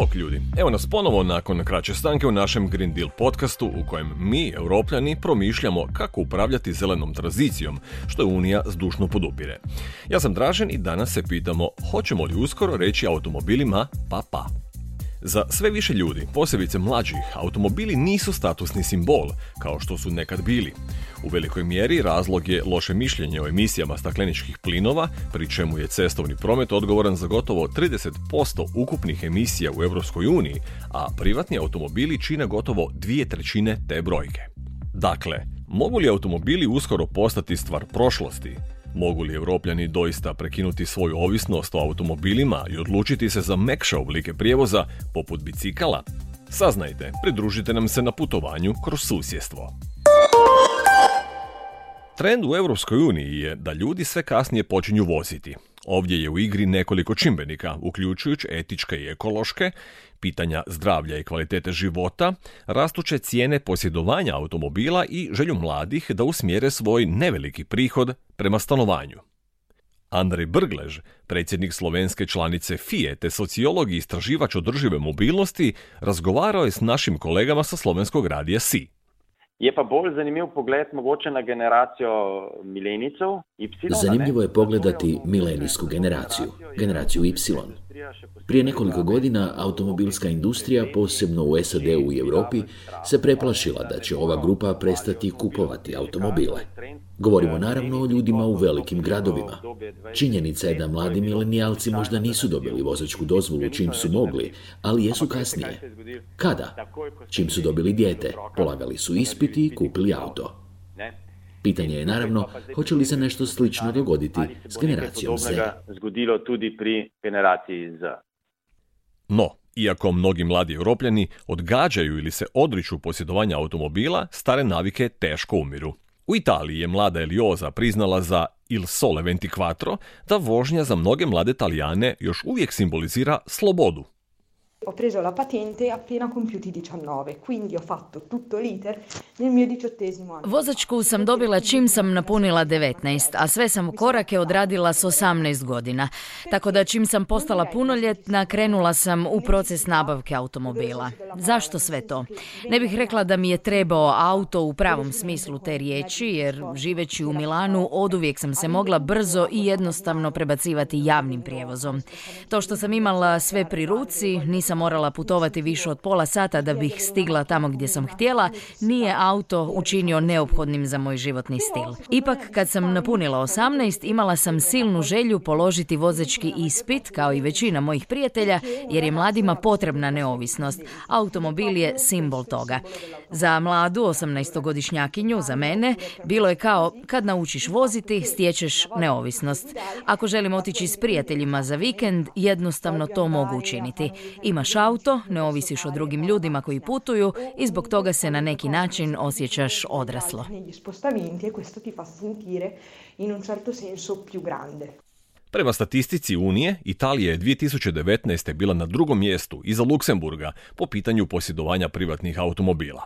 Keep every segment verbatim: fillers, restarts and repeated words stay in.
Bok ljudi, evo nas ponovo nakon kraće stanke u našem Green Deal podcastu u kojem mi, Europljani, promišljamo kako upravljati zelenom tranzicijom, što je Unija zdušno podupire. Ja sam Dražen i danas se pitamo hoćemo li uskoro reći automobilima pa pa. Za sve više ljudi, posebice mlađih, automobili nisu statusni simbol, kao što su nekad bili. U velikoj mjeri razlog je loše mišljenje o emisijama stakleničkih plinova, pri čemu je cestovni promet odgovoran za gotovo trideset posto ukupnih emisija u Europskoj uniji, a privatni automobili čine gotovo dvije trećine te brojke. Dakle, mogu li automobili uskoro postati stvar prošlosti? Mogu li Europljani doista prekinuti svoju ovisnost o automobilima i odlučiti se za mekše oblike prijevoza, poput bicikala? Saznajte, pridružite nam se na putovanju kroz susjedstvo. Trend u Europskoj uniji je da ljudi sve kasnije počinju voziti. Ovdje je u igri nekoliko čimbenika, uključujući etičke i ekološke, pitanja zdravlja i kvalitete života, rastuće cijene posjedovanja automobila i želju mladih da usmjere svoj neveliki prihod prema stanovanju. Andrej Brglež, predsjednik slovenske članice F I E te sociolog i istraživač održive mobilnosti, razgovarao je s našim kolegama sa slovenskog radija S I. Je pa bolj zanimljiv pogled mogoče na generacijo milenijcev. Zanimljivo je pogledati milenijsku generaciju, generaciju Y. Prije nekoliko godina automobilska industrija, posebno u S A D-u i Europi, se preplašila da će ova grupa prestati kupovati automobile. Govorimo naravno o ljudima u velikim gradovima. Činjenica je da mladi milenijalci možda nisu dobili vozačku dozvolu čim su mogli, ali jesu kasnije. Kada? Čim su dobili dijete, polagali su ispiti i kupili auto. Pitanje je naravno, hoće li se nešto slično dogoditi s generacijom Z. Zgodilo tudi pri generaciji Z. No, iako mnogi mladi Europljani odgađaju ili se odriču posjedovanja automobila, stare navike teško umiru. U Italiji je mlada Elioza priznala za Il Sole ventiquattro da vožnja za mnoge mlade Talijane još uvijek simbolizira slobodu. Ho preso la patente appena compiuti diciannove, quindi ho fatto tutto l'iter nel mio diciottesimo anno. Vozačku sam dobila čim sam napunila devetnaest, a sve sam korake odradila s osamnaest godina. Tako da čim sam postala punoljetna, krenula sam u proces nabavke automobila. Zašto sve to? Ne bih rekla da mi je trebao auto u pravom smislu te riječi, jer živeći u Milanu oduvijek sam se mogla brzo i jednostavno prebacivati javnim prijevozom. To što sam imala sve pri ruci, nisam morala putovati više od pola sata da bih stigla tamo gdje sam htjela, nije auto učinio neophodnim za moj životni stil. Ipak, kad sam napunila osamnaest, imala sam silnu želju položiti vozački ispit, kao i većina mojih prijatelja, jer je mladima potrebna neovisnost. Automobil je simbol toga. Za mladu osamnaestogodišnjakinju, za mene, bilo je kao kad naučiš voziti, stječeš neovisnost. Ako želim otići s prijateljima za vikend, jednostavno to mogu učiniti. Imaš auto, ne ovisiš o drugim ljudima koji putuju i zbog toga se na neki način osjećaš odraslo. Prema statistici Unije, Italija je dvije tisuće devetnaeste. bila na drugom mjestu iza Luksemburga po pitanju posjedovanja privatnih automobila.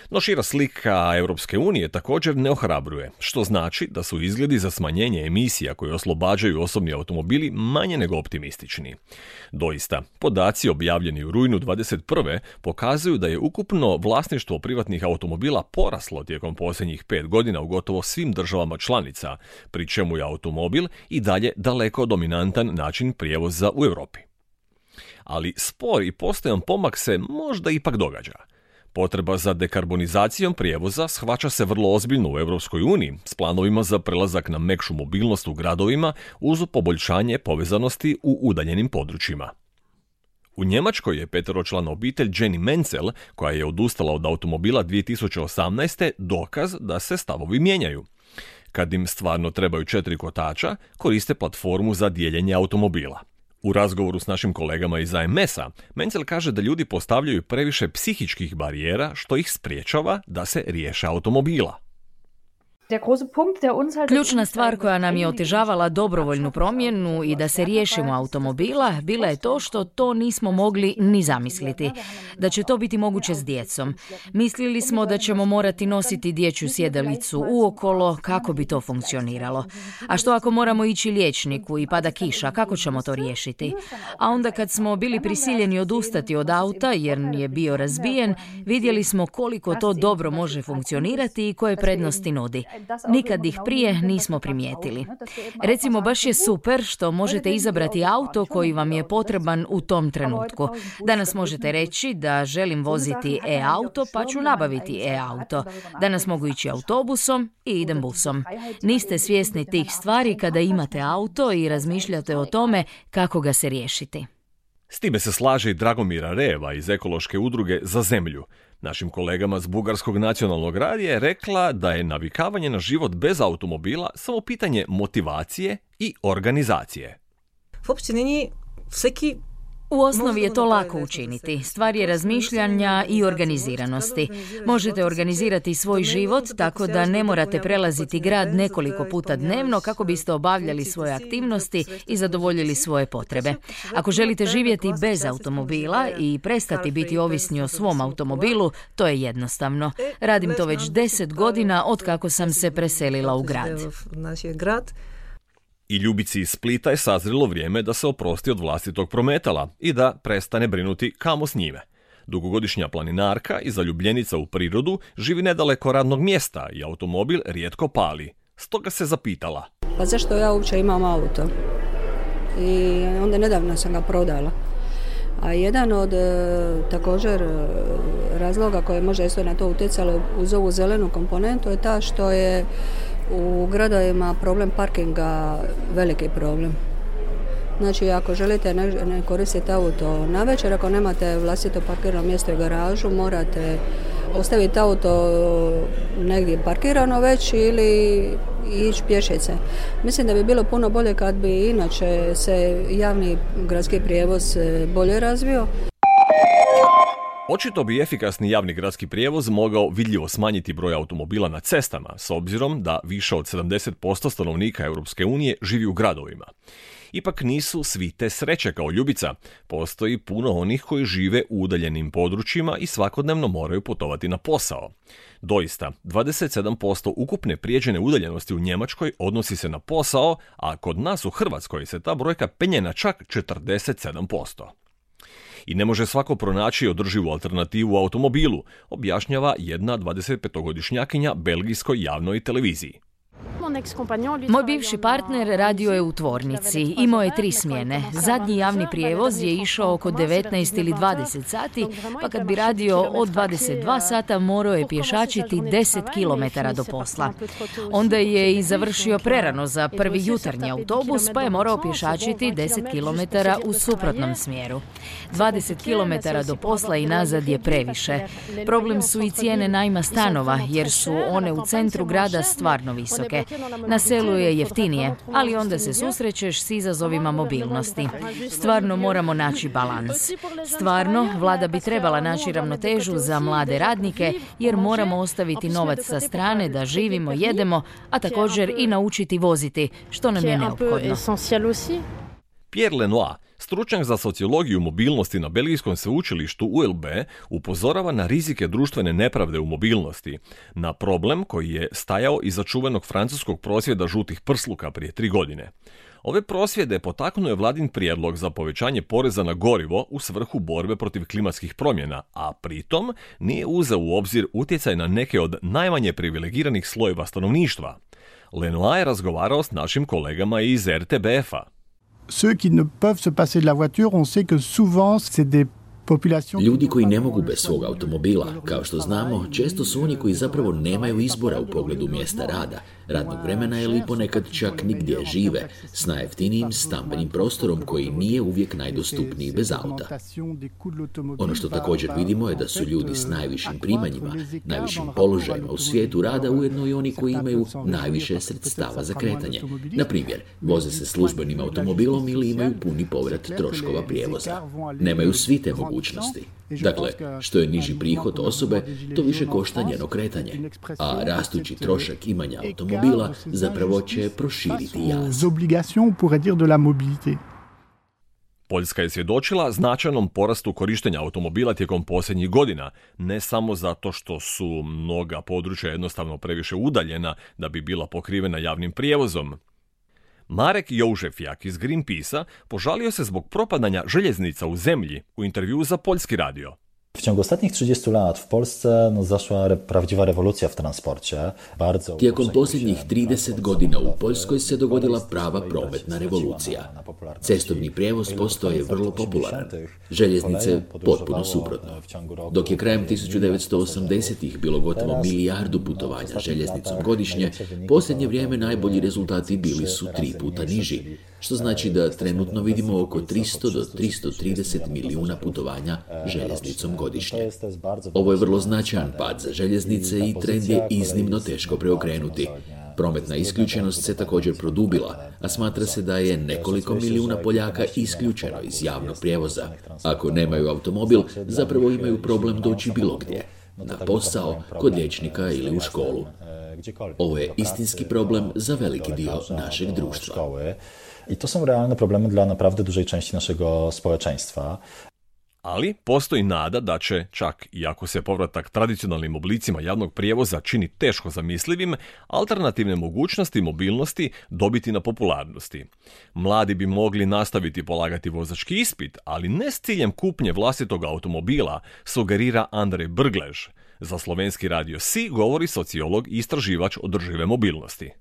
No šira slika Europske unije također ne ohrabruje, što znači da su izgledi za smanjenje emisija koje oslobađaju osobni automobili manje nego optimistični. Doista, podaci objavljeni u rujnu dvadeset prve pokazuju da je ukupno vlasništvo privatnih automobila poraslo tijekom posljednjih pet godina u gotovo svim državama članica, pri čemu je automobil i dalje daleko dominantan način prijevoza u Europi. Ali spor i postojan pomak se možda ipak događa. Potreba za dekarbonizacijom prijevoza shvaća se vrlo ozbiljno u Europskoj uniji s planovima za prelazak na mekšu mobilnost u gradovima uz poboljšanje povezanosti u udaljenim područjima. U Njemačkoj je peteročlana obitelj Jenny Menzel, koja je odustala od automobila dvije tisuće osamnaeste. dokaz da se stavovi mijenjaju. Kad im stvarno trebaju četiri kotača, koriste platformu za dijeljenje automobila. U razgovoru s našim kolegama iz A M S-a, Menzel kaže da ljudi postavljaju previše psihičkih barijera što ih spriječava da se riješe automobila. Ključna stvar koja nam je otežavala dobrovoljnu promjenu i da se riješimo automobila bila je to što to nismo mogli ni zamisliti. Da će to biti moguće s djecom. Mislili smo da ćemo morati nositi dječju sjedalicu uokolo, kako bi to funkcioniralo. A što ako moramo ići liječniku i pada kiša, kako ćemo to riješiti? A onda kad smo bili prisiljeni odustati od auta jer je bio razbijen, vidjeli smo koliko to dobro može funkcionirati i koje prednosti nudi. Nikad ih prije nismo primijetili. Recimo, baš je super što možete izabrati auto koji vam je potreban u tom trenutku. Danas možete reći da želim voziti e-auto, pa ću nabaviti e-auto. Danas mogu ići autobusom i idem busom. Niste svjesni tih stvari kada imate auto i razmišljate o tome kako ga se riješiti. S time se slaže i Dragomira Reva iz ekološke udruge Za zemlju. Našim kolegama s Bugarskog nacionalnog radija je rekla da je navikavanje na život bez automobila samo pitanje motivacije i organizacije. U osnovi je to lako učiniti. Stvar je razmišljanja i organiziranosti. Možete organizirati svoj život tako da ne morate prelaziti grad nekoliko puta dnevno kako biste obavljali svoje aktivnosti i zadovoljili svoje potrebe. Ako želite živjeti bez automobila i prestati biti ovisni o svom automobilu, to je jednostavno. Radim to već deset godina od kako sam se preselila u grad. I Ljubici iz Splita je sazrilo vrijeme da se oprosti od vlastitog prometala i da prestane brinuti kamo s njime. Dugogodišnja planinarka i zaljubljenica u prirodu živi nedaleko radnog mjesta i automobil rijetko pali. Stoga se zapitala. Pa zašto ja uopće imam auto? I onda nedavno sam ga prodala. A jedan od također razloga koje možda isto na to utjecalo uz ovu zelenu komponentu je ta što je u gradovima problem parkinga veliki problem. Znači, ako želite ne, ne koristiti auto navečer, ako nemate vlastito parkirano mjesto i garažu, morate ostaviti auto negdje parkirano već ili ići pješice. Mislim da bi bilo puno bolje kad bi inače se javni gradski prijevoz bolje razvio. Očito bi efikasni javni gradski prijevoz mogao vidljivo smanjiti broj automobila na cestama, s obzirom da više od sedamdeset posto stanovnika Europske unije živi u gradovima. Ipak nisu svi te sreće kao Ljubica. Postoji puno onih koji žive u udaljenim područjima i svakodnevno moraju putovati na posao. Doista, dvadeset sedam posto ukupne prijeđene udaljenosti u Njemačkoj odnosi se na posao, a kod nas u Hrvatskoj se ta brojka penje na čak četrdeset sedam posto. I ne može svako pronaći održivu alternativu automobilu, objašnjava jedna dvadesetpetogodišnjakinja belgijskoj javnoj televiziji. Moj bivši partner radio je u tvornici, imao je tri smjene. Zadnji javni prijevoz je išao oko devetnaest ili dvadeset sati, pa kad bi radio od dvadeset dva sata morao je pješačiti deset kilometara do posla. Onda je i završio prerano za prvi jutarnji autobus, pa je morao pješačiti deset kilometara u suprotnom smjeru. dvadeset kilometara do posla i nazad je previše. Problem su i cijene najma stanova, jer su one u centru grada stvarno visoke. Na selu je jeftinije, ali onda se susrećeš s izazovima mobilnosti. Stvarno moramo naći balans. Stvarno, vlada bi trebala naći ravnotežu za mlade radnike, jer moramo ostaviti novac sa strane da živimo, jedemo, a također i naučiti voziti, što nam je neophodno. Pierre Lenoir, stručnjak za sociologiju mobilnosti na belgijskom sveučilištu U L B, upozorava na rizike društvene nepravde u mobilnosti, na problem koji je stajao iza čuvenog francuskog prosvjeda žutih prsluka prije tri godine. Ove prosvjede potaknuo je vladin prijedlog za povećanje poreza na gorivo u svrhu borbe protiv klimatskih promjena, a pritom nije uzeo u obzir utjecaj na neke od najmanje privilegiranih slojeva stanovništva. Lenoir je razgovarao s našim kolegama iz R T B F-a. Ceux qui ne peuvent se passer de la voiture, on sait que souvent c'est des Ljudi koji ne mogu bez svog automobila, kao što znamo, često su oni koji zapravo nemaju izbora u pogledu mjesta rada, radnog vremena ili ponekad čak nigdje žive, s najjeftinijim stambenim prostorom koji nije uvijek najdostupniji bez auta. Ono što također vidimo je da su ljudi s najvišim primanjima, najvišim položajima u svijetu rada ujedno i oni koji imaju najviše sredstava za kretanje. Na primjer, voze se službenim automobilom ili imaju puni povrat troškova prijevoza. Nemaju svi te mogućnosti. mogućnosti. Dakle, što je niži prihod osobe, to više košta njeno kretanje, a rastući trošak imanja automobila zapravo će proširiti jaz. Poljska je svjedočila značajnom porastu korištenja automobila tijekom posljednjih godina, ne samo zato što su mnoga područja jednostavno previše udaljena da bi bila pokrivena javnim prijevozom. Marek Joužefjak iz Greenpeacea požalio se zbog propadanja željeznica u zemlji u intervjuu za Poljski radio. W ciągu ostatnich trzydziestu lat w Polsce no, zaszła re, prawdziwa rewolucja w transporcie. Bardzo Tijekom posljednjih trideset godina u Poljskoj se dogodila prava prometna revolucija. Cestovni prijevoz postao je vrlo popularan. Željeznice potpuno suprotno. Dok je krajem tisuću devetsto osamdesetih bilo gotovo milijardu putovanja željeznicom godišnje, posljednje vrijeme najbolji rezultati bili su tri puta niži, što znači da trenutno vidimo oko tristo do tristo trideset milijuna putovanja željeznicom godišnje. Ovo je vrlo značajan pad za željeznice i trend je iznimno teško preokrenuti. Prometna isključenost se također produbila, a smatra se da je nekoliko milijuna Poljaka isključeno iz javnog prijevoza. Ako nemaju automobil, zapravo imaju problem doći bilo gdje, na posao, kod liječnika ili u školu. Ovo je istinski problem za veliki dio našeg društva. I to są realne problemy dla naprawdę dużej części naszego społeczeństwa. Ali postoji nada da će, čak i ako se povratak tradicionalnim oblicima javnog prijevoza čini teško zamislivim, alternativne mogućnosti mobilnosti dobiti na popularnosti. Mladi bi mogli nastaviti polagati vozački ispit, ali ne s ciljem kupnje vlastitog automobila, sugerira Andrej Brglež. Za slovenski radio Si govori sociolog i istraživač održive mobilnosti.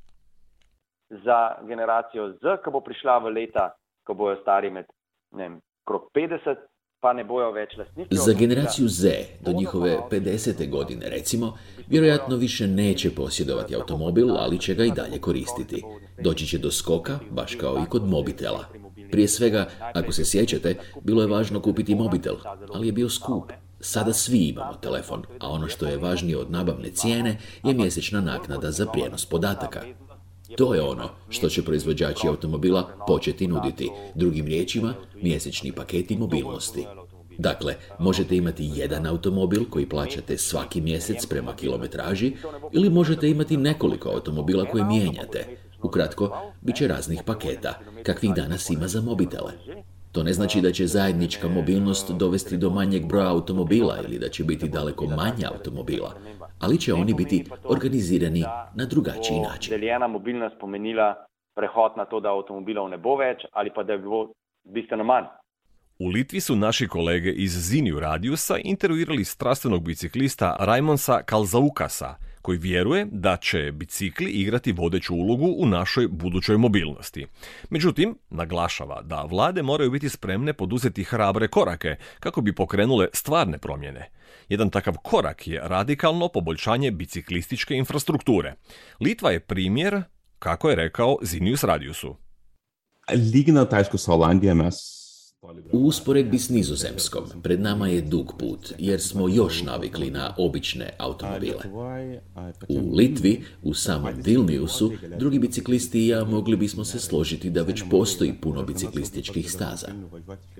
Za generacijo Z, ki bo prišla v leta, ko bojo stari med ne vem, krog petdeset, pa ne bojo več lastniki. Za generaciju Z, do njihove pedesete godine recimo, vjerojatno više neće posjedovati automobil, ali će ga i dalje koristiti. Doći će do skoka, baš kao i kod mobitela. Prije svega, ako se sjećate, bilo je važno kupiti mobitel, ali je bio skup. Sada svi imamo telefon, a ono što je važnije od nabavne cijene je mjesečna naknada za prijenos podataka. To je ono što će proizvođači automobila početi nuditi. Drugim riječima, mjesečni paketi mobilnosti. Dakle, možete imati jedan automobil koji plaćate svaki mjesec prema kilometraži ili možete imati nekoliko automobila koje mijenjate. Ukratko, bit će raznih paketa, kakvih danas ima za mobitele. To ne znači da će zajednička mobilnost dovesti do manjeg broja automobila ili da će biti daleko manje automobila, ali će oni biti organizirani na drugačiji način. Deljena mobilnost pomenila prehod na to, da avtomobilov ne bo več ali pa da je bilo bistveno manj. U Litvi su naši kolege iz Ziniju Radiusa intervjuirali strastvenog biciklista Raimonsa Kalzaukasa, koji vjeruje da će bicikli igrati vodeću ulogu u našoj budućoj mobilnosti. Međutim, naglašava da vlade moraju biti spremne poduzeti hrabre korake kako bi pokrenule stvarne promjene. Jedan takav korak je radikalno poboljšanje biciklističke infrastrukture. Litva je primjer, kako je rekao Zinius Radiusu. Lyginant, aišku, su Olandija mes U usporedbi s Nizozemskom, pred nama je dug put, jer smo još navikli na obične automobile. U Litvi, u samom Vilniusu, drugi biciklisti i ja mogli bismo se složiti da već postoji puno biciklističkih staza.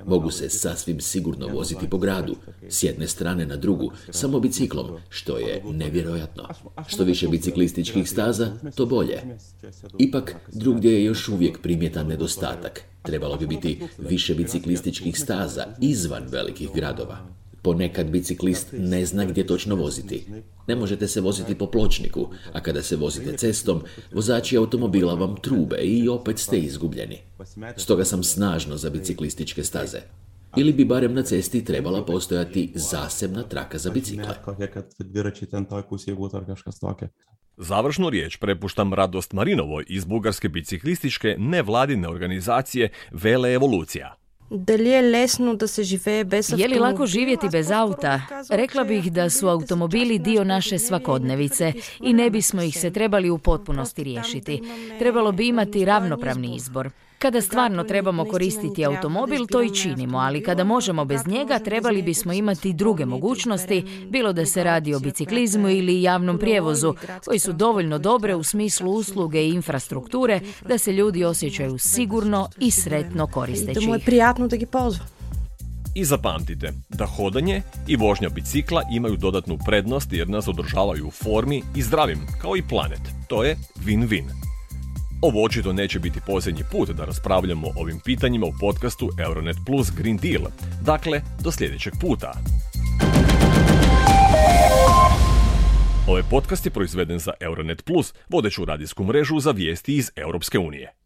Mogu se sasvim sigurno voziti po gradu, s jedne strane na drugu, samo biciklom, što je nevjerojatno. Što više biciklističkih staza, to bolje. Ipak, drugdje je još uvijek primjetan nedostatak. Trebalo bi biti više biciklističkih staza izvan velikih gradova. Ponekad biciklist ne zna gdje točno voziti. Ne možete se voziti po pločniku, a kada se vozite cestom, vozači automobila vam trube i opet ste izgubljeni. Stoga sam snažno za biciklističke staze. Ili bi barem na cesti trebala postojati zasebna traka za bicikle. Završnu riječ prepuštam Radost Marinovoj iz bugarske biciklističke nevladine organizacije Vele Evolucija. Je li lako živjeti bez auta? Rekla bih da su automobili dio naše svakodnevice i ne bismo ih se trebali u potpunosti riješiti. Trebalo bi imati ravnopravni izbor. Kada stvarno trebamo koristiti automobil, to i činimo, ali kada možemo bez njega, trebali bismo imati druge mogućnosti, bilo da se radi o biciklizmu ili javnom prijevozu, koji su dovoljno dobre u smislu usluge i infrastrukture da se ljudi osjećaju sigurno i sretno koristeći ih. I zapamtite da hodanje i vožnja bicikla imaju dodatnu prednost jer nas održavaju u formi i zdravim, kao i planet. To je win-win. Ovo očito neće biti posljednji put da raspravljamo o ovim pitanjima u podcastu Euronet Plus Green Deal. Dakle, do sljedećeg puta. Ovaj podcast je proizveden za Euronet Plus, vodeću radijsku mrežu za vijesti iz Europske unije.